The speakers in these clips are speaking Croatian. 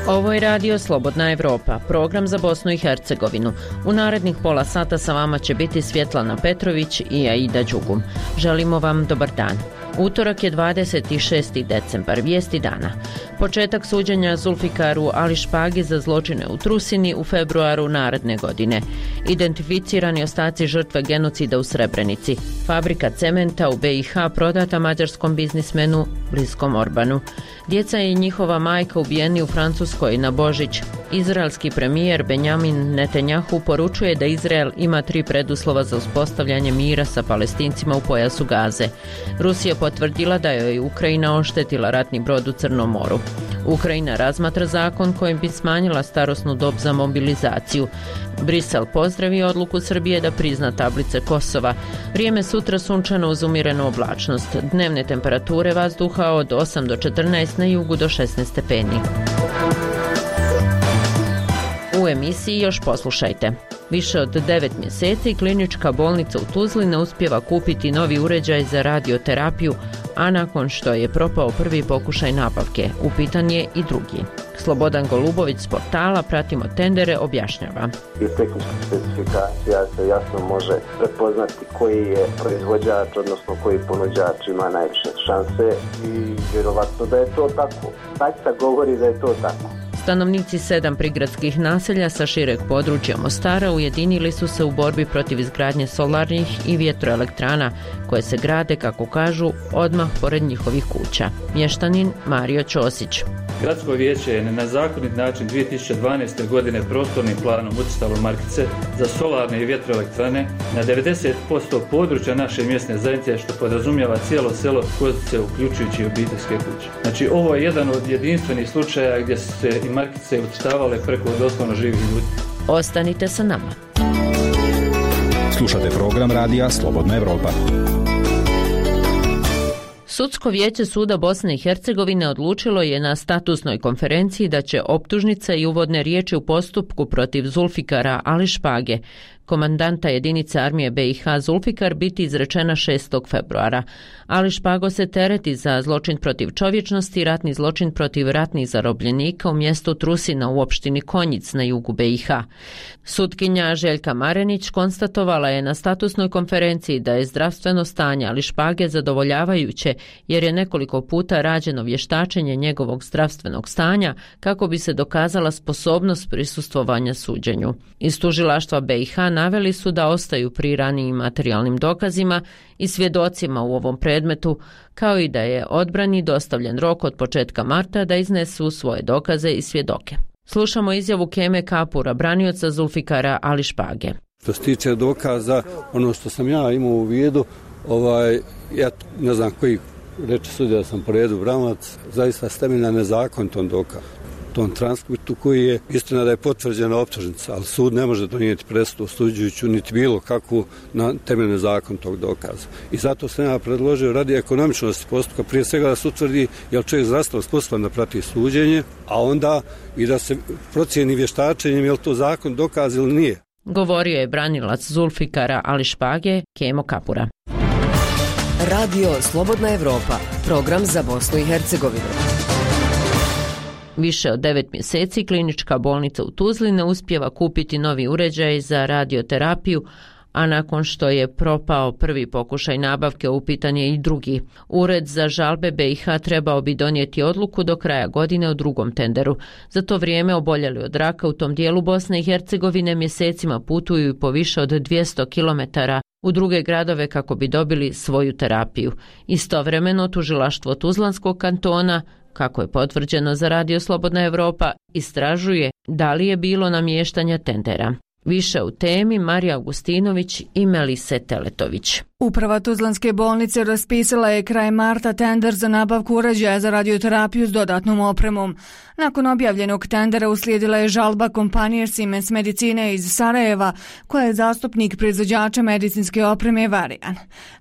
Ovo je radio Slobodna Evropa, program za Bosnu i Hercegovinu. U narednih pola sata sa vama će biti Svjetlana Petrović i Aida Đugum. Želimo vam dobar dan. Utorak je 26. decembar, vijesti dana. Početak suđenja Zulfikaru Ališpagi za zločine u Trusini u februaru naredne godine. Identificirani ostaci žrtve genocida u Srebrenici. Fabrika cementa u BiH prodata mađarskom biznismenu bliskom Orbanu. Djeca i njihova majka ubijeni u Francuskoj na Božić. Izraelski premijer Benjamin Netanjahu poručuje da Izrael ima 3 preduslova za uspostavljanje mira sa Palestincima u pojasu Gaze. Rusija potvrdila da joj Ukrajina oštetila ratni brod u Crnom moru. Ukrajina razmatra zakon kojim bi smanjila starosnu dob za mobilizaciju. Brisel pozdravio odluku Srbije da prizna tablice Kosova. Vrijeme sutra sunčano uz umjerenu oblačnost. Dnevne temperature vazduha od 8 do 14, na jugu do 16 stepeni. U emisiji još poslušajte. Više od 9 mjeseci klinička bolnica u Tuzli ne uspijeva kupiti novi uređaj za radioterapiju, a nakon što je propao prvi pokušaj nabavke, upitan je i drugi. Slobodan Golubović s portala Pratimo tendere objašnjava. Iz tehničkih specifikacija se jasno može prepoznati koji je proizvođač, odnosno koji ponuđač ima najviše šanse i vjerovatno da je to tako. Taksa govori da je to tako. Stanovnici 7 prigradskih naselja sa šireg područja Mostara ujedinili su se u borbi protiv izgradnje solarnih i vjetroelektrana koje se grade, kako kažu, odmah pored njihovih kuća. Mještanin Mario Ćosić. Gradsko vijeće je na nezakonit način 2012. godine prostornim planom ucrtalo markice za solarne i vjetroelektrane na 90% područja naše mjesne zajednice, što podrazumijeva cijelo selo Kozice, uključujući i obiteljske kuće. Znači, ovo je jedan od jedinstvenih slučaja gdje su se i markice ucrtavale preko doslovno živih ljudi. Ostanite sa nama. Slušate program radija Slobodna Evropa. Sudsko vijeće Suda Bosne i Hercegovine odlučilo je na statusnoj konferenciji da će optužnica i uvodne riječi u postupku protiv Zulfikara Ališpage, komandanta jedinice armije BiH Zulfikar, biti izrečena 6. februara. Ališpago se tereti za zločin protiv čovječnosti i ratni zločin protiv ratnih zarobljenika u mjestu Trusina u opštini Konjic na jugu BiH. Sutkinja Željka Marenić konstatovala je na statusnoj konferenciji da je zdravstveno stanje Ališpage zadovoljavajuće, jer je nekoliko puta rađeno vještačenje njegovog zdravstvenog stanja kako bi se dokazala sposobnost prisustvovanja suđenju. Iz tužilaštva BiH naveli su da ostaju pri ranijim materijalnim dokazima i svjedocima u ovom predmetu, kao i da je odbrani dostavljen rok od početka marta da iznesu svoje dokaze i svjedoke. Slušamo izjavu Keme Kapura, branioca Zulfikara Ališpage. Što se tiče dokaza, ono što sam ja imao u vidu, ja ne znam koji reče sudija da sam po redu branac, zaista temeljna nezakonitom dokazu. Tom transkriptu koji je istina da je potvrđena optužnica, ali sud ne može donijeti presudu osuđujuću niti bilo kakvu na temeljni zakon tog dokaza. I zato sam ja predložio radi ekonomičnosti postupka, prije svega da se utvrdi je li čovjek zdravstveno sposoban da prati suđenje, a onda i da se procijeni vještačenjem je li to zakon dokaz ili nije. Govorio je branilac Zulfikara Ališpage Kemo Kapura. Radio Slobodna Evropa, program za Bosnu i Hercegovinu. Više od 9 mjeseci klinička bolnica u Tuzli ne uspijeva kupiti novi uređaj za radioterapiju, a nakon što je propao prvi pokušaj nabavke, upitan je i drugi. Ured za žalbe BiH trebao bi donijeti odluku do kraja godine o drugom tenderu. Za to vrijeme oboljeli od raka u tom dijelu Bosne i Hercegovine mjesecima putuju po više od 200 km u druge gradove kako bi dobili svoju terapiju. Istovremeno tužilaštvo Tuzlanskog kantona, kako je potvrđeno za Radio Slobodna Evropa, istražuje da li je bilo namještanja tendera. Više u temi Marija Augustinović i Melise Teletović. Uprava Tuzlanske bolnice raspisala je kraj marta tender za nabavku uređaja za radioterapiju s dodatnom opremom. Nakon objavljenog tendera uslijedila je žalba kompanije Siemens Medicine iz Sarajeva, koja je zastupnik proizvođača medicinske opreme Varian.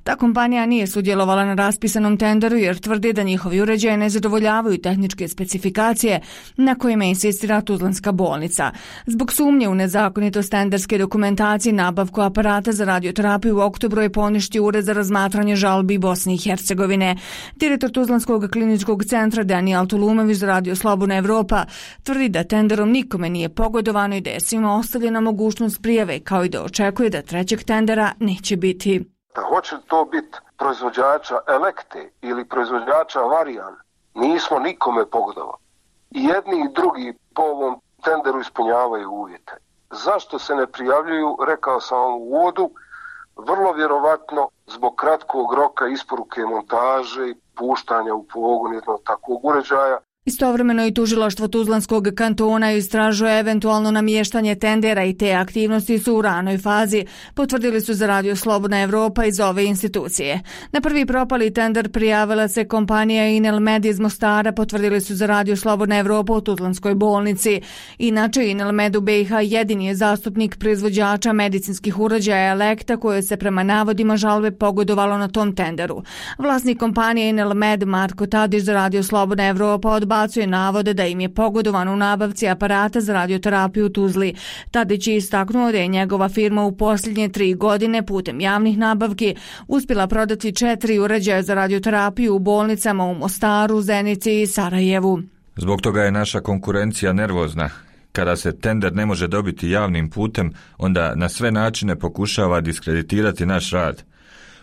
Ta kompanija nije sudjelovala na raspisanom tenderu jer tvrdi da njihovi uređaji ne zadovoljavaju tehničke specifikacije na kojima insistira Tuzlanska bolnica. Zbog sumnje u nezakonitost tenderske dokumentacije, nabavku aparata za radioterapiju u oktobru je poništeno saopštio Ured za razmatranje žalbi Bosne i Hercegovine. Direktor Tuzlanskog kliničkog centra Danijel Tulumović za Radio Slobodna Evropa tvrdi da tenderom nikome nije pogodovano i da je svima ostavljena mogućnost prijave, kao i da očekuje da trećeg tendera neće biti. Hoće to biti proizvođača Elekte ili proizvođača Varijan, nismo nikome pogodovali. I jedni i drugi po ovom tenderu ispunjavaju uvjete. Zašto se ne prijavljuju, rekao sam vam u uvodu, vrlo vjerovatno zbog kratkog roka isporuke montaže i puštanja u pogon jednog takvog uređaja. Istovremeno i tužilaštvo Tuzlanskog kantona istražuje eventualno namještanje tendera i te aktivnosti su u ranoj fazi, potvrdili su za Radio Slobodna Evropa iz ove institucije. Na prvi propali tender prijavila se kompanija Inelmed iz Mostara, potvrdili su za Radio Slobodna Evropa u Tuzlanskoj bolnici. Inače, Inelmed u BiH jedini je zastupnik proizvođača medicinskih uređaja Elekta koje se prema navodima žalbe pogodovalo na tom tenderu. Vlasnik kompanije Inelmed Marko Tadić za Radio Slobodna Evropa odbacuje navode da im je pogodovano u nabavci aparata za radioterapiju u Tuzli. Tadić je istaknuo da je njegova firma u posljednje 3 godine putem javnih nabavki uspjela prodati 4 uređaja za radioterapiju u bolnicama u Mostaru, Zenici i Sarajevu. Zbog toga je naša konkurencija nervozna. Kada se tender ne može dobiti javnim putem, onda na sve načine pokušava diskreditirati naš rad.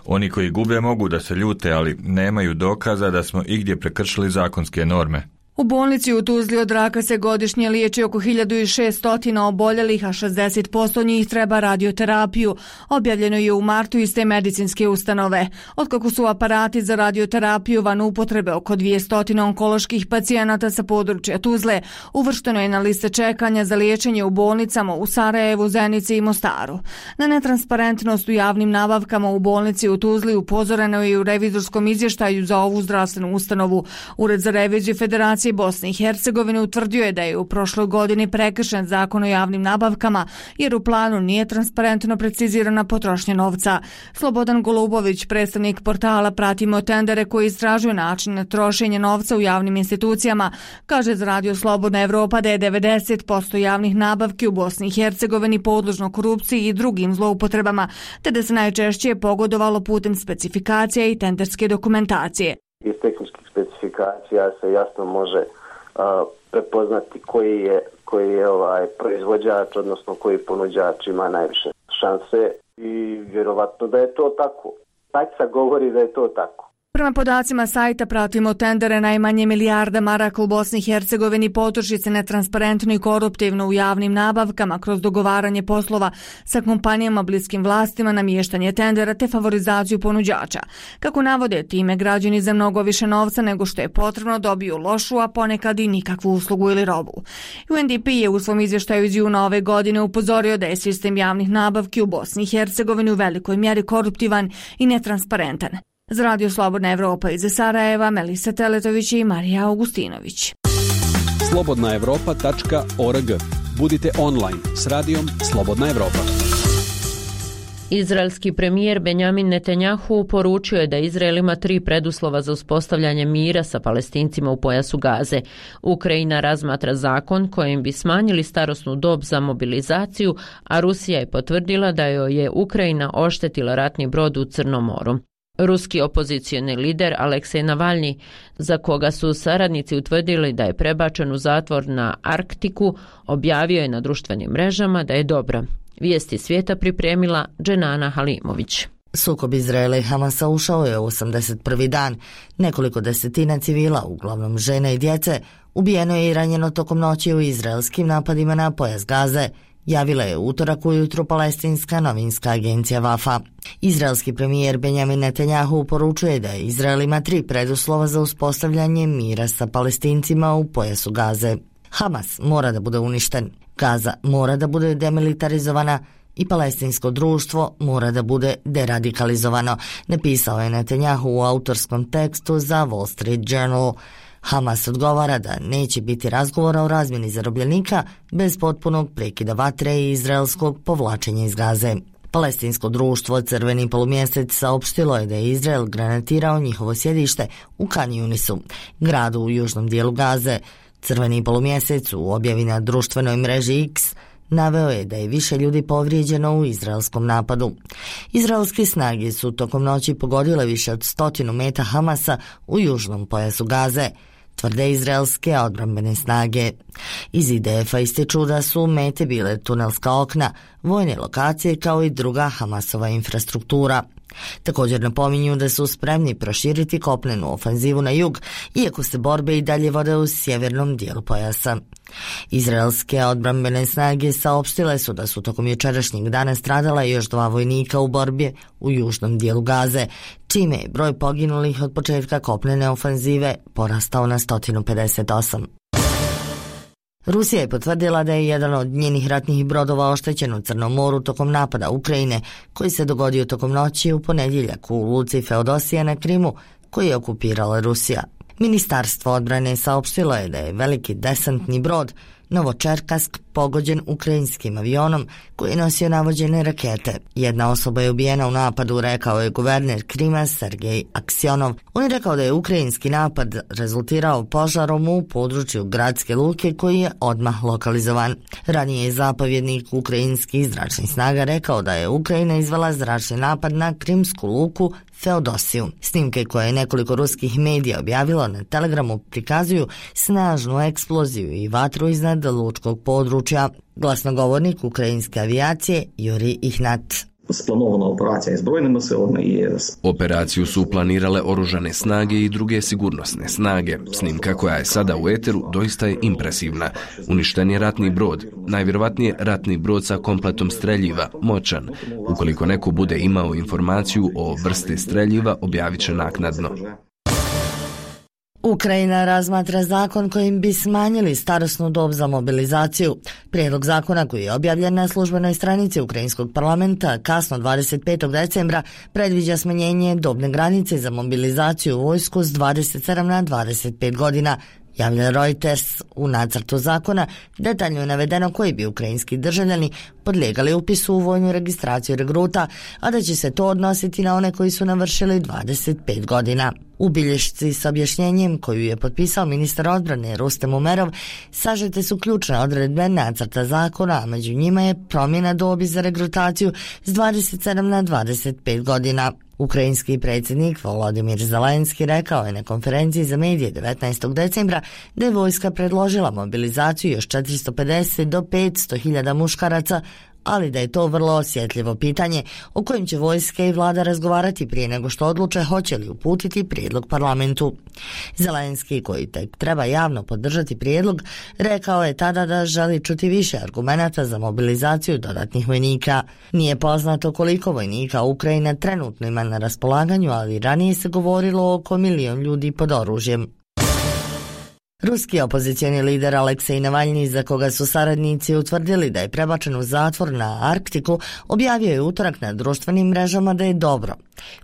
Oni koji gube mogu da se ljute, ali nemaju dokaza da smo igdje prekršili zakonske norme. U bolnici u Tuzli od raka se godišnje liječi oko 1600 oboljelih, a 60% njih treba radioterapiju. Objavljeno je u martu iz te medicinske ustanove. Otkako su aparati za radioterapiju van upotrebe oko 200 onkoloških pacijenata sa područja Tuzle, uvršteno je na liste čekanja za liječenje u bolnicama u Sarajevu, Zenici i Mostaru. Na netransparentnost u javnim nabavkama u bolnici u Tuzli upozoreno je i u revizorskom izvještaju za ovu zdravstvenu ustanovu. Ured za reviziju Federacije Bosne i Hercegovine utvrdio je da je u prošloj godini prekršen zakon o javnim nabavkama jer u planu nije transparentno precizirana potrošnja novca. Slobodan Golubović, predstavnik portala Pratimo tendere koji istražuju način trošenja novca u javnim institucijama, kaže za Radio Slobodna Evropa da je 90% javnih nabavki u Bosni i Hercegovini podložno korupciji i drugim zloupotrebama, te da se najčešće pogodovalo putem specifikacija i tenderske dokumentacije. Iz tehničkih specifikacija se jasno može prepoznati koji je proizvođač, odnosno koji ponuđač ima najviše šanse i vjerovatno da je to tako. Taksa govori da je to tako. Prema podacima sajta Pratimo tendere, najmanje milijarda maraka u Bosni i Hercegovini potroši se netransparentno i koruptivno u javnim nabavkama kroz dogovaranje poslova sa kompanijama bliskim vlastima, namještanje tendera te favorizaciju ponuđača. Kako navode, time građani za mnogo više novca nego što je potrebno dobiju lošu, a ponekad i nikakvu uslugu ili robu. UNDP je u svom izvještaju iz juna ove godine upozorio da je sistem javnih nabavki u Bosni i Hercegovini u velikoj mjeri koruptivan i netransparentan. Za Radio Slobodna Evropa iz Sarajeva, Melisa Teletović i Marija Augustinović. slobodnaevropa.org. Budite online s radijom Slobodna Evropa. Izraelski premijer Benjamin Netanjahu poručio je da Izrael ima 3 preduslova za uspostavljanje mira sa Palestincima u pojasu Gaze. Ukrajina razmatra zakon kojim bi smanjili starosnu dob za mobilizaciju, a Rusija je potvrdila da joj je Ukrajina oštetila ratni brod u Crnom moru. Ruski opozicioni lider Aleksej Navalni, za koga su saradnici utvrdili da je prebačen u zatvor na Arktiku, objavio je na društvenim mrežama da je dobro. Vijesti svijeta pripremila Dženana Halimović. Sukob Izraela i Hamasa ušao je u 81. dan. Nekoliko desetina civila, uglavnom žene i djece, ubijeno je i ranjeno tokom noći u izraelskim napadima na pojas Gaze, javila je utorak ujutru palestinska novinska agencija Wafa. Izraelski premijer Benjamin Netanjahu poručuje da Izrael ima 3 preduslova za uspostavljanje mira sa Palestincima u pojasu Gaze. Hamas mora da bude uništen, Gaza mora da bude demilitarizovana i palestinsko društvo mora da bude deradikalizovano, napisao je Netanjahu u autorskom tekstu za Wall Street Journal. Hamas odgovara da neće biti razgovora o razmjeni zarobljenika bez potpunog prekida vatre i izraelskog povlačenja iz Gaze. Palestinsko društvo Crveni polumjesec saopštilo je da je Izrael granatirao njihovo sjedište u Kan Yunisu, gradu u južnom dijelu Gaze. Crveni polumjesec u objavi na društvenoj mreži X Naveo je da je više ljudi povrijeđeno u izraelskom napadu. Izraelske snage su tokom noći pogodile više od 100 meta Hamasa u južnom pojasu Gaze, tvrde izraelske odbrambene snage. Iz IDF-a ističu da su mete bile tunelska okna, vojne lokacije kao i druga Hamasova infrastruktura. Također napominju da su spremni proširiti kopnenu ofenzivu na jug, iako se borbe i dalje vode u sjevernom dijelu pojasa. Izraelske odbrambene snage saopštile su da su tokom jučerašnjeg dana stradala još 2 vojnika u borbi u južnom dijelu Gaze, čime je broj poginulih od početka kopnene ofenzive porastao na 158. Rusija je potvrdila da je jedan od njenih ratnih brodova oštećen u Crnom moru tokom napada Ukrajine, koji se dogodio tokom noći u ponedjeljak u luci Feodosija na Krimu, koji je okupirala Rusija. Ministarstvo odbrane saopštilo je da je veliki desantni brod Novočerkask pogođen ukrajinskim avionom koji je nosio navođene rakete. Jedna osoba je ubijena u napadu, rekao je guverner Krima Sergej Aksionov. On je rekao da je ukrajinski napad rezultirao požarom u području gradske luke koji je odmah lokalizovan. Ranije je zapovjednik ukrajinskih zračnih snaga rekao da je Ukrajina izvela zračni napad na krimsku luku Feodosiju. Snimke koje je nekoliko ruskih medija objavilo na Telegramu prikazuju snažnu eksploziju i vatru iznad lučkog područja. Glasnogovornik ukrajinske avijacije Jurij Ihnat. Operaciju su planirale oružane snage i druge sigurnosne snage. Snimka koja je sada u eteru doista je impresivna. Uništen je ratni brod, najvjerovatnije ratni brod sa kompletom streljiva, moćan. Ukoliko neko bude imao informaciju o vrsti streljiva, objavit će naknadno. Ukrajina razmatra zakon kojim bi smanjili starosnu dob za mobilizaciju. Prijedlog zakona koji je objavljen na službenoj stranici Ukrajinskog parlamenta kasno 25. decembra predviđa smanjenje dobne granice za mobilizaciju u vojsku s 27 na 25 godina. Javlja Reuters. U nacrtu zakona detaljno je navedeno koji bi ukrajinski državljani podlijegali upisu u vojnu registraciju regruta, a da će se to odnositi na one koji su navršili 25 godina. U bilješci s objašnjenjem koju je potpisao ministar odbrane Rustem Umerov sažete su ključne odredbe nacrta zakona, a među njima je promjena dobi za regrutaciju s 27 na 25 godina. Ukrajinski predsjednik Volodimir Zelenski rekao je na konferenciji za medije 19. decembra da je vojska predložila mobilizaciju još 450 do 500.000 muškaraca, ali da je to vrlo osjetljivo pitanje o kojem će vojska i vlada razgovarati prije nego što odluče hoće li uputiti prijedlog parlamentu. Zelenski, koji tek treba javno podržati prijedlog, rekao je tada da želi čuti više argumenata za mobilizaciju dodatnih vojnika. Nije poznato koliko vojnika Ukrajina trenutno ima na raspolaganju, ali ranije se govorilo oko 1 milion ljudi pod oružjem. Ruski opozicijeni lider Aleksej Navalni, za koga su saradnici utvrdili da je prebačen u zatvor na Arktiku, objavio je utorak na društvenim mrežama da je dobro.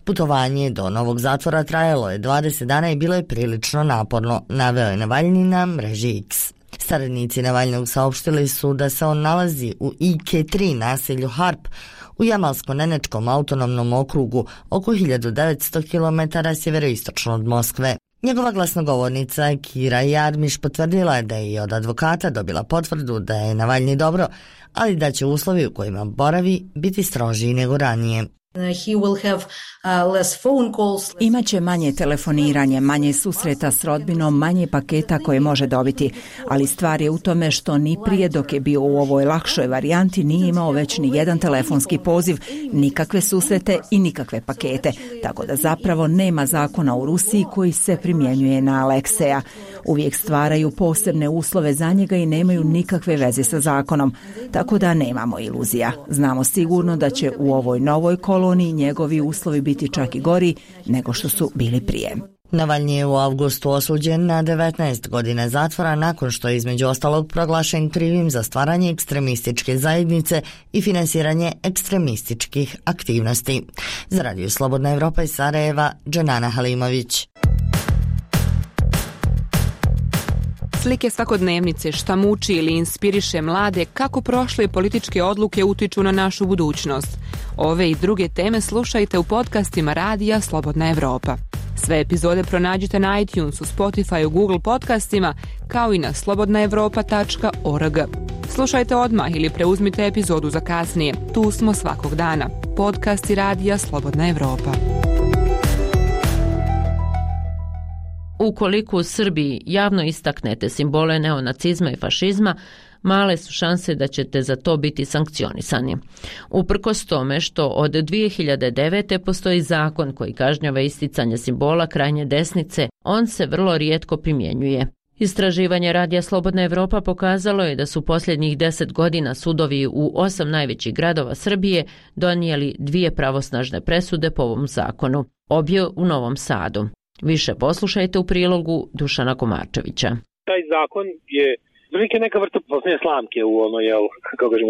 Putovanje do novog zatvora trajalo je 20 dana i bilo je prilično naporno, naveo je Navalni na mreži X. Saradnici Navalnog saopštili su da se on nalazi u IK-3 naselju Harp u Jamalsko-Nenečkom autonomnom okrugu oko 1900 km sjeveroistočno od Moskve. Njegova glasnogovornica Kira Jarmiš potvrdila je da je i od advokata dobila potvrdu da je Navalni dobro, ali da će uslovi u kojima boravi biti strožiji nego ranije. Imaće manje telefoniranje, manje susreta s rodbinom, manje paketa koje može dobiti, ali stvar je u tome što ni prije dok je bio u ovoj lakšoj varijanti nije imao već ni jedan telefonski poziv, nikakve susrete i nikakve pakete, tako da zapravo nema zakona u Rusiji koji se primjenjuje na Alekseja. Uvijek stvaraju posebne uslove za njega i nemaju nikakve veze sa zakonom, tako da nemamo iluzija. Znamo sigurno da će u ovoj novoj koloniji njegovi uslovi biti čak i gori nego što su bili prije. Navalni je u avgustu osuđen na 19 godina zatvora nakon što je između ostalog proglašen krivim za stvaranje ekstremističke zajednice i finansiranje ekstremističkih aktivnosti. Za Radio Slobodna Evropa iz Sarajeva, Dženana Halimović. Slike svakodnevnice, šta muči ili inspiriše mlade, kako prošle političke odluke utiču na našu budućnost. Ove i druge teme slušajte u podcastima Radija Slobodna Evropa. Sve epizode pronađite na iTunesu, Spotifyu, Google podcastima kao i na slobodnaevropa.org. Slušajte odmah ili preuzmite epizodu za kasnije. Tu smo svakog dana. Podcast i radija Slobodna Evropa. Ukoliko u Srbiji javno istaknete simbole neonacizma i fašizma, male su šanse da ćete za to biti sankcionisani. Uprkos tome što od 2009. postoji zakon koji kažnjava isticanje simbola krajnje desnice, on se vrlo rijetko primjenjuje. Istraživanje Radija Slobodna Evropa pokazalo je da su posljednjih 10 godina sudovi u 8 najvećih gradova Srbije donijeli 2 pravosnažne presude po ovom zakonu, obje u Novom Sadu. Više poslušajte u prilogu Dušana Komarčevića. Taj zakon je neka vrsta posljednje slamke u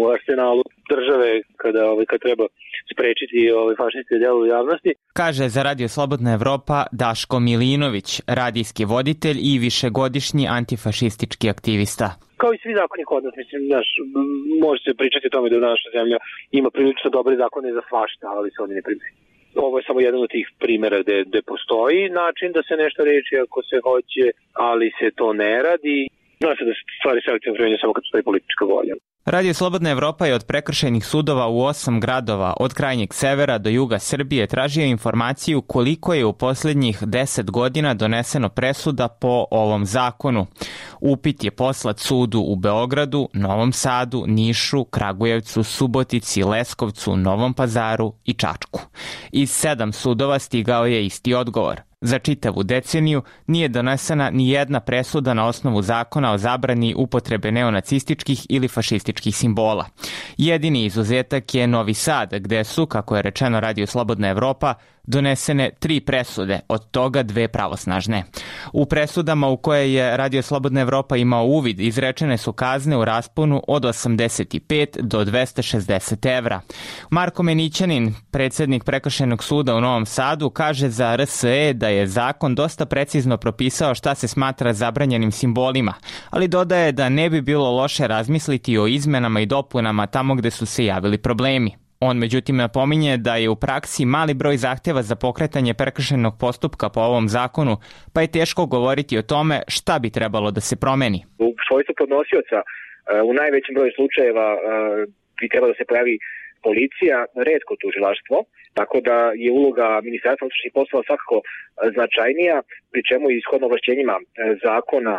u arsenalu države kad treba sprečiti fašističke djelove javnosti. Kaže za Radio Slobodna Evropa Daško Milinović, radijski voditelj i višegodišnji antifašistički aktivista. Kao i svi zakoni kod nas, može se pričati o tome da naša zemlja ima prilično dobre zakone za svašta, ali se oni ne primjenjuju. Ovo je samo jedan od tih primjera gde postoji način da se nešto reči ako se hoće, ali se to ne radi. Zna se da se stvari selektivno primjenjuju samo kad postoji politička volja. Radio Slobodna Evropa je od prekršajnih sudova u 8 gradova od krajnjeg severa do juga Srbije tražio informaciju koliko je u posljednjih 10 godina doneseno presuda po ovom zakonu. Upit je poslat sudu u Beogradu, Novom Sadu, Nišu, Kragujevcu, Subotici, Leskovcu, Novom Pazaru i Čačku. Iz 7 sudova stigao je isti odgovor. Za čitavu deceniju nije donesena ni jedna presuda na osnovu zakona o zabrani upotrebe neonacističkih ili fašističkih simbola. Jedini izuzetak je Novi Sad, gde su, kako je rečeno Radio Slobodna Evropa, donesene 3 presude, od toga 2 pravosnažne. U presudama u koje je Radio Slobodna Evropa imao uvid izrečene su kazne u rasponu od 85 do 260 evra. Marko Menićanin, predsjednik Prekršajnog suda u Novom Sadu, kaže za RSE da je zakon dosta precizno propisao šta se smatra zabranjenim simbolima, ali dodaje da ne bi bilo loše razmisliti o izmenama i dopunama tamo gde su se javili problemi. On međutim napominje da je u praksi mali broj zahtjeva za pokretanje prekršajnog postupka po ovom zakonu, pa je teško govoriti o tome šta bi trebalo da se promeni. U svojstvu podnosioca u najvećem broju slučajeva bi trebalo da se pojavi policija, retko tužilaštvo, tako da je uloga Ministarstva unutrašnjih poslova svakako značajnija, pri čemu i ishodno ovlašćenjima zakona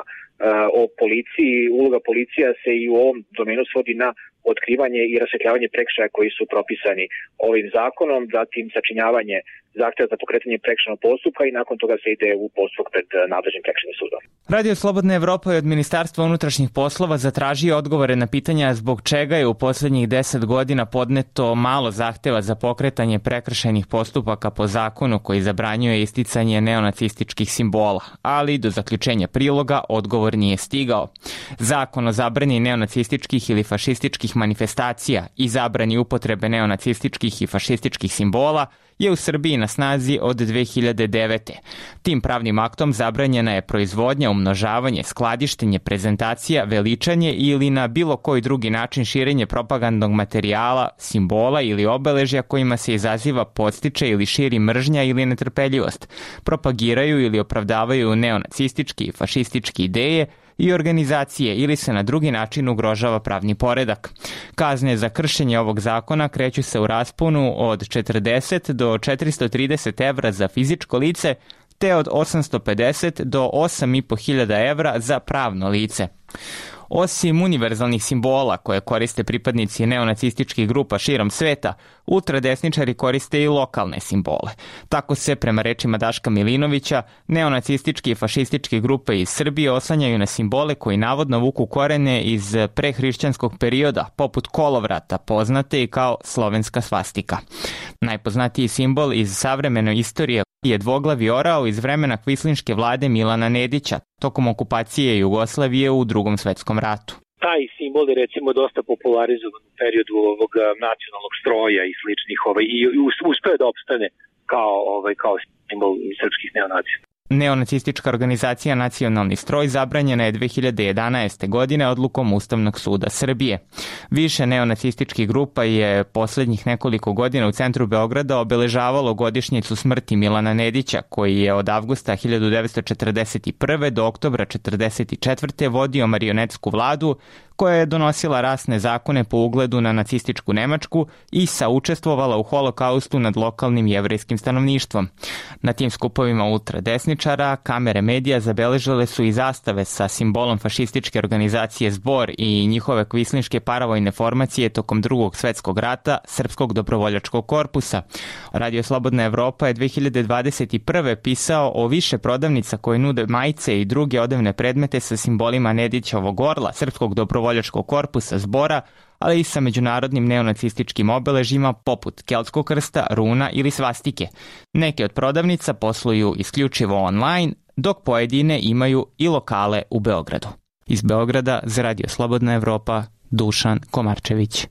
o policiji, uloga policija se i u ovom domenu svodi na otkrivanje i rasvetljavanje prekršaja koji su propisani ovim zakonom, zatim sačinjavanje zahtjeva za pokretanje prekršajnog postupka i nakon toga se ide u postupak pred nadležnim prekršajnim sudom. Radio Slobodna Evropa je od Ministarstva unutrašnjih poslova zatražio odgovore na pitanja zbog čega je u posljednjih 10 godina podneto malo zahtjeva za pokretanje prekršajnih postupaka po zakonu koji zabranjuje isticanje neonacističkih simbola, ali do zaključenja priloga odgovor nije stigao. Zakon o zabrani neonacističkih ili fašističkih manifestacija i zabrani upotrebe neonacističkih i fašističkih simbola je u Srbiji na snazi od 2009. Tim pravnim aktom zabranjena je proizvodnja, umnožavanje, skladištenje, prezentacija, veličanje ili na bilo koji drugi način širenje propagandnog materijala, simbola ili obeležja kojima se izaziva, podstiče ili širi mržnja ili netrpeljivost, propagiraju ili opravdavaju neonacističke i fašističke ideje i organizacije ili se na drugi način ugrožava pravni poredak. Kazne za kršenje ovog zakona kreću se u rasponu od 40 do 430 evra za fizičko lice, te od 850 do 8.500 evra za pravno lice. Osim univerzalnih simbola koje koriste pripadnici neonacističkih grupa širom sveta, ultradesničari koriste i lokalne simbole. Tako se, prema rečima Daška Milinovića, neonacističke i fašističke grupe iz Srbije oslanjaju na simbole koji navodno vuku korene iz prehrišćanskog perioda, poput kolovrata, poznate i kao slovenska svastika. Najpoznatiji simbol iz savremene istorije je dvoglavi orao iz vremena kvislinške vlade Milana Nedića tokom okupacije Jugoslavije u Drugom svetskom ratu. Taj simbol je recimo dosta popularizovan u periodu ovog nacionalnog stroja i sličnih i uspeo da opstane kao simbol srpskih neonacija. Neonacistička organizacija Nacionalni stroj zabranjena je 2011. godine odlukom Ustavnog suda Srbije. Više neonacističkih grupa je posljednjih nekoliko godina u centru Beograda obeležavalo godišnjicu smrti Milana Nedića, koji je od avgusta 1941. do oktobra 1944. vodio marionetsku vladu koja je donosila rasne zakone po ugledu na nacističku Nemačku i saučestvovala u holokaustu nad lokalnim jevrejskim stanovništvom. Na tim skupovima ultradesničara kamere medija zabeležile su i zastave sa simbolom fašističke organizacije Zbor i njihove kvislinške paravojne formacije tokom Drugog svjetskog rata Srpskog dobrovoljačkog korpusa. Radio Slobodna Evropa je 2021. pisao o više prodavnica koje nude majice i druge odevne predmete sa simbolima Nedićevog orla, Srpskog dobrovoljačkog korpusa Zbora, ali i sa međunarodnim neonacističkim obeležjima poput keltskog krsta, runa ili svastike. Neke od prodavnica posluju isključivo online, dok pojedine imaju i lokale u Beogradu. Iz Beograda za Radio Slobodna Evropa, Dušan Komarčević.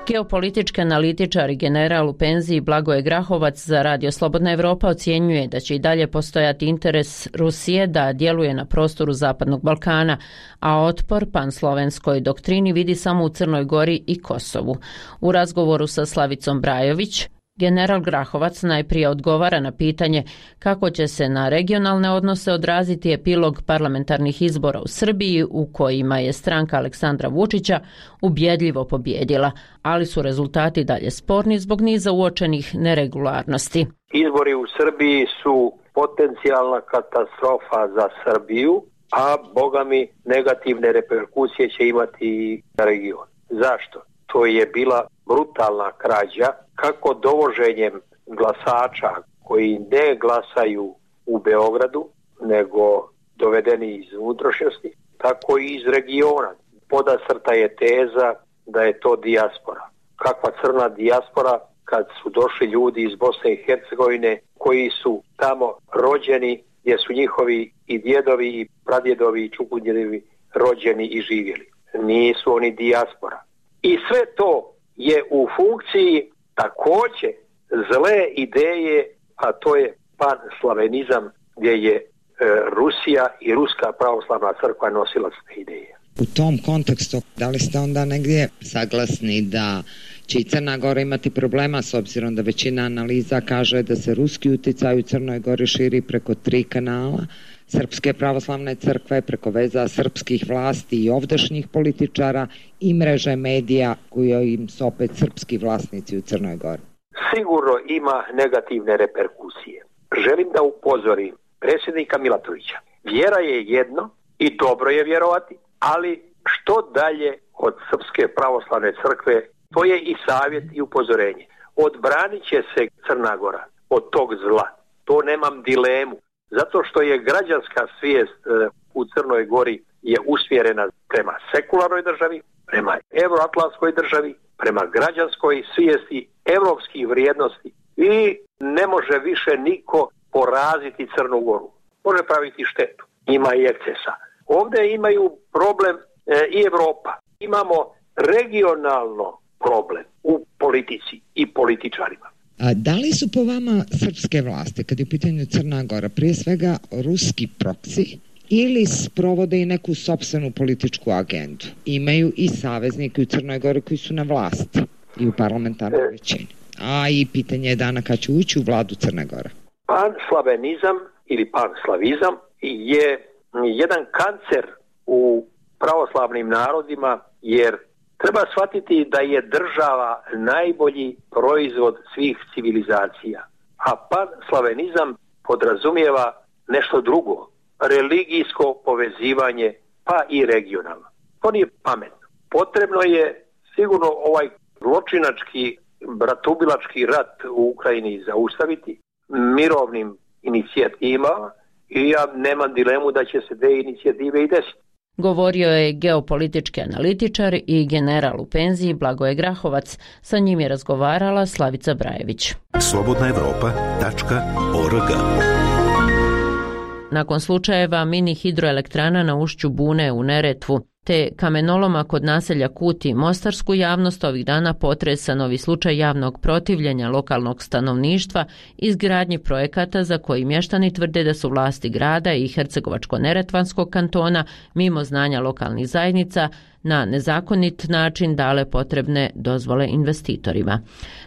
Geopolitički analitičar i general u penziji Blagoje Grahovac za Radio Slobodna Evropa ocjenjuje da će i dalje postojati interes Rusije da djeluje na prostoru Zapadnog Balkana, a otpor panslovenskoj doktrini vidi samo u Crnoj Gori i Kosovu. U razgovoru sa Slavicom Brajović, general Grahovac najprije odgovara na pitanje kako će se na regionalne odnose odraziti epilog parlamentarnih izbora u Srbiji u kojima je stranka Aleksandra Vučića ubjedljivo pobjedila, ali su rezultati dalje sporni zbog niza uočenih neregularnosti. Izbori u Srbiji su potencijalna katastrofa za Srbiju, a bogami negativne reperkusije će imati i na region. Zašto? To je bila brutalna krađa, kako dovoženjem glasača koji ne glasaju u Beogradu, nego dovedeni iz unutrašnjosti, tako i iz regiona. Podasrta je teza da je to dijaspora. Kakva crna dijaspora kad su došli ljudi iz Bosne i Hercegovine koji su tamo rođeni, gdje su njihovi i djedovi i pradjedovi i čukundjedovi rođeni i živjeli. Nisu oni dijaspora. I sve to je u funkciji također zle ideje, a to je panslavenizam gdje je Rusija i Ruska pravoslavna crkva nosilac te ideje. U tom kontekstu, da li ste onda negdje saglasni da će i Crna Gora imati problema s obzirom da većina analiza kaže da se ruski uticaj u Crnoj Gori širi preko 3 kanala, Srpske pravoslavne crkve, preko veza srpskih vlasti i ovdašnjih političara i mreže medija koje im su opet srpski vlasnici u Crnoj Gori? Sigurno ima negativne reperkusije. Želim da upozorim predsjednika Milatovića. Vjera je jedno i dobro je vjerovati, ali što dalje od Srpske pravoslavne crkve, to je i savjet i upozorenje. Odbranit će se Crna Gora od tog zla. To nemam dilemu. Zato što je građanska svijest u Crnoj Gori je usmjerena prema sekularnoj državi, prema euroatlantskoj državi, prema građanskoj svijesti, evropskih vrijednosti i ne može više niko poraziti Crnu Goru. Može praviti štetu. Ima i ekscesa. Ovdje imaju problem i Evropa. Imamo regionalno problem u politici i političarima. A da li su po vama srpske vlasti, kad je u pitanju Crna Gora, prije svega ruski proksi ili sprovode i neku sopstvenu političku agendu? Imaju i saveznike u Crnoj Gori koji su na vlasti i u parlamentarnoj većini. A i pitanje je dana kad će ući u vladu Crne Gore. Panslavenizam ili panslavizam je jedan kancer u pravoslavnim narodima, jer treba shvatiti da je država najbolji proizvod svih civilizacija, a panslavenizam podrazumijeva nešto drugo, religijsko povezivanje, pa i regionalno. To nije pametno. Potrebno je sigurno ovaj zločinački, bratubilački rat u Ukrajini zaustaviti mirovnim inicijativama i ja nemam dilemu da će se te inicijative i desiti. Govorio je geopolitički analitičar i general u penziji Blagoje Grahovac. Sa njim je razgovarala Slavica Brajević. slobodnaevropa.org. Nakon slučajeva mini hidroelektrana na ušću Bune u Neretvu, te kamenoloma kod naselja Kuti. Mostarsku javnost ovih dana potresa novi slučaj javnog protivljenja lokalnog stanovništva izgradnji projekata za koji mještani tvrde da su vlasti grada i Hercegovačko-neretvanskog kantona mimo znanja lokalnih zajednica na nezakonit način dale potrebne dozvole investitorima.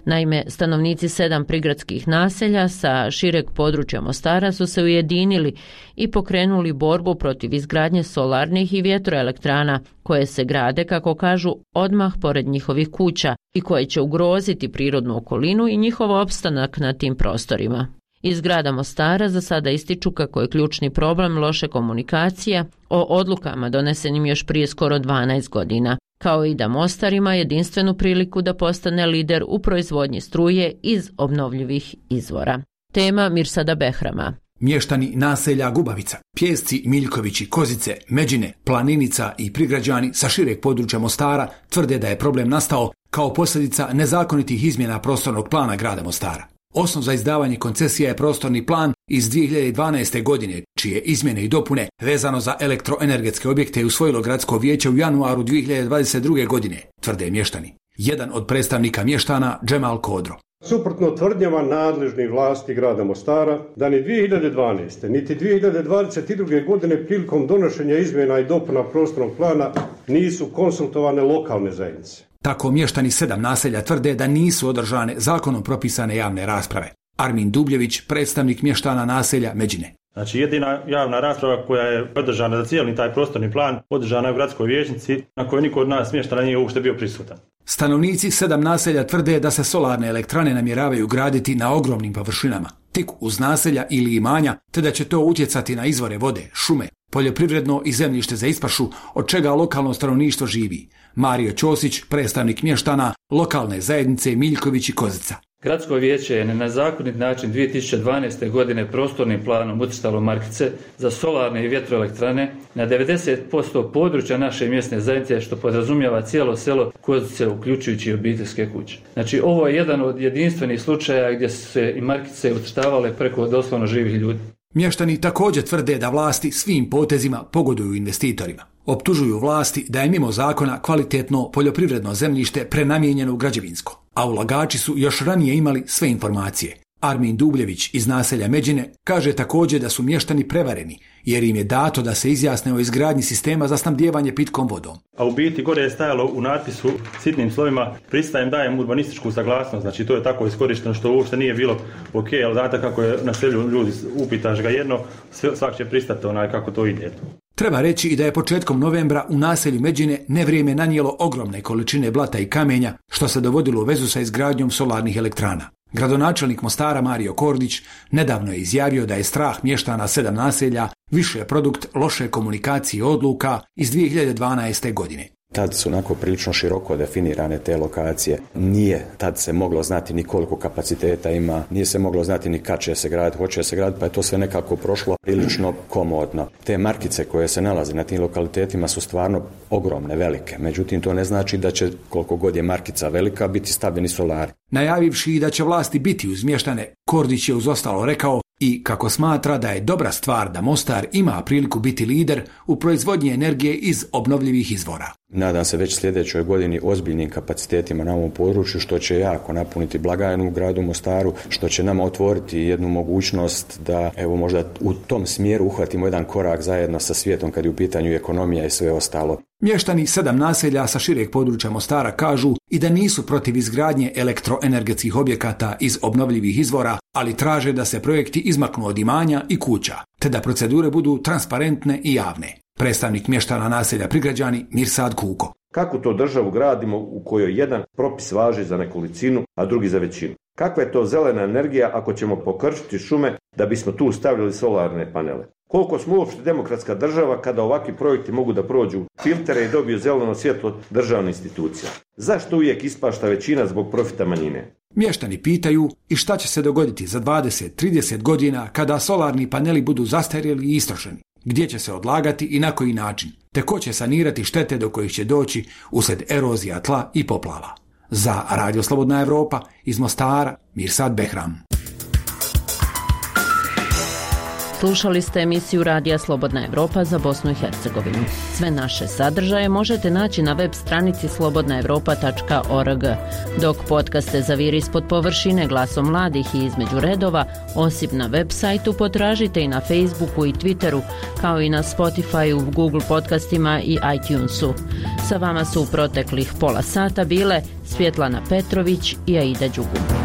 Naime, stanovnici 7 prigradskih naselja sa šireg područja Mostara su se ujedinili i pokrenuli borbu protiv izgradnje solarnih i vjetroelektrana koje se grade, kako kažu, odmah pored njihovih kuća i koje će ugroziti prirodnu okolinu i njihov opstanak na tim prostorima. Iz grada Mostara za sada ističu kako je ključni problem loše komunikacija o odlukama donesenim još prije skoro 12 godina, kao i da Mostar ima jedinstvenu priliku da postane lider u proizvodnji struje iz obnovljivih izvora. Tema Mirsada Behrama. Mještani naselja Gubavica, Pjesci, Miljkovići, Kozice, Međine, Planinica i prigrađani sa šireg područja Mostara tvrde da je problem nastao kao posljedica nezakonitih izmjena prostornog plana grada Mostara. Osnov za izdavanje koncesija je prostorni plan iz 2012. godine, čije izmjene i dopune vezano za elektroenergetske objekte je usvojilo gradsko vijeće u januaru 2022. godine, tvrde mještani. Jedan od predstavnika mještana, Džemal Kodro. Suprotno tvrdnjama nadležnih vlasti grada Mostara, da ni 2012. niti 2022. godine prilikom donošenja izmjena i dopuna prostornog plana nisu konsultovane lokalne zajednice. Tako mještani 7 naselja tvrde da nisu održane zakonom propisane javne rasprave. Armin Dubljević, predstavnik mještana naselja Međine. Znači jedina javna rasprava koja je održana za cijeli taj prostorni plan, održana je u gradskoj vijećnici na kojoj niko od nas mještana nije uopšte bio prisutan. Stanovnici 7 naselja tvrde da se solarne elektrane namjeravaju graditi na ogromnim površinama, tik uz naselja ili imanja, te da će to utjecati na izvore vode, šume, poljoprivredno i zemljište za ispašu, od čega lokalno stanovništvo živi. Mario Ćosić, predstavnik mještana lokalne zajednice Miljković i Kozica. Gradsko vijeće je na nezakonit način 2012. godine prostornim planom ucrtalo markice za solarne i vjetroelektrane na 90% područja naše mjesne zajednice, što podrazumijeva cijelo selo Kozice, uključujući obiteljske kuće. Znači ovo je jedan od jedinstvenih slučaja gdje su se i markice ucrtavale preko doslovno živih ljudi. Mještani također tvrde da vlasti svim potezima pogoduju investitorima. Optužuju vlasti da je mimo zakona kvalitetno poljoprivredno zemljište prenamijenjeno u građevinsko, a ulagači su još ranije imali sve informacije. Armin Dubljević iz naselja Međine kaže također da su mještani prevareni, jer im je dato da se izjasne o izgradnji sistema za snabdijevanje pitkom vodom. A u biti gore je stajalo u natpisu sitnim slovima: pristajem, dajem urbanističku saglasnost. Znači to je tako iskorišteno što uopšte nije bilo ok, ali znate kako je na selu ljudi, upitaš ga jedno, svak će pristati kako to ide. Treba reći i da je početkom novembra u naselju Međine nevrijeme nanijelo ogromne količine blata i kamenja, što se dovodilo u vezu sa izgradnjom solarnih elektrana. Gradonačelnik Mostara Mario Kordić nedavno je izjavio da je strah mještana 7 naselja više produkt loše komunikacije odluka iz 2012. godine. Tad su onako prilično široko definirane te lokacije. Nije tad se moglo znati ni koliko kapaciteta ima, nije se moglo znati ni kad će se graditi, hoće se graditi, pa je to sve nekako prošlo prilično komodno. Te markice koje se nalaze na tim lokalitetima su stvarno ogromne, velike. Međutim, to ne znači da će, koliko god je markica velika, biti stavljeni solari. Najavivši da će vlasti biti uzmještane, Kordić je uz ostalo rekao i kako smatra da je dobra stvar da Mostar ima priliku biti lider u proizvodnji energije iz obnovljivih izvora. Nadam se već sljedećoj godini ozbiljnim kapacitetima na ovom području, što će jako napuniti blagajnu u gradu Mostaru, što će nama otvoriti jednu mogućnost da evo možda u tom smjeru uhvatimo jedan korak zajedno sa svijetom kad je u pitanju ekonomija i sve ostalo. Mještani 7 naselja sa šireg područja Mostara kažu i da nisu protiv izgradnje elektroenergetskih objekata iz obnovljivih izvora, ali traže da se projekti izmaknu od imanja i kuća, te da procedure budu transparentne i javne. Predstavnik mještana naselja Prigrađani Mirsad Kuko. Kako to državu gradimo u kojoj jedan propis važi za nekolicinu, a drugi za većinu? Kakva je to zelena energija ako ćemo pokrčiti šume da bismo tu stavili solarne panele? Koliko smo uopšte demokratska država kada ovakvi projekti mogu da prođu filtere i dobiju zeleno svjetlo državne institucije? Zašto uvijek ispašta većina zbog profita manjine? Mještani pitaju i šta će se dogoditi za 20-30 godina kada solarni paneli budu zastarjeli i istrošeni? Gdje će se odlagati i na koji način? Te ko će sanirati štete do kojih će doći usred erozija tla i poplava? Za Radio Slobodna Evropa iz Mostara, Mirsad Behram. Slušali ste emisiju Radija Slobodna Evropa za Bosnu i Hercegovinu. Sve naše sadržaje možete naći na web stranici slobodnaevropa.org. Dok podcaste Zaviri ispod površine, Glasom mladih i Između redova, osim na web sajtu potražite i na Facebooku i Twitteru, kao i na Spotifyu, Google podcastima i iTunesu. Sa vama su u proteklih pola sata bile Svjetlana Petrović i Aida Đugum.